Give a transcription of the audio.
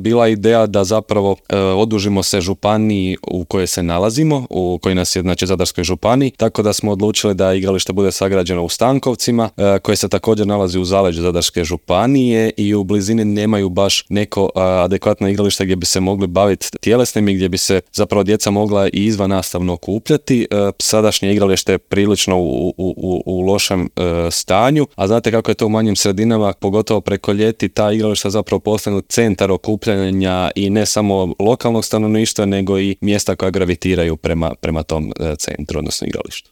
bila ideja da zapravo odužimo se županiji u kojoj se nalazimo, u kojoj nas je, znači, Zadarskoj županiji, tako da smo odlučili da igralište bude sagrađeno u Stankovcima, koje se također nalazi u zaleđu Zadarske županije i u blizini nemaju baš neko adekvatno igralište gdje bi se mogli baviti tjelesnim i gdje bi se zapravo djeca mogla i izvan nastavno okupljati. Sadašnje igralište je prilično u lošem stanju, a znate kako je to u manjim sredinama, pogotovo preko ljeti, ta igrališta zapravo postanu centar okupljanja i ne samo lokalnog stanovništva, nego i mjesta koja gravitiraju prema tom centru, odnosno igralištu.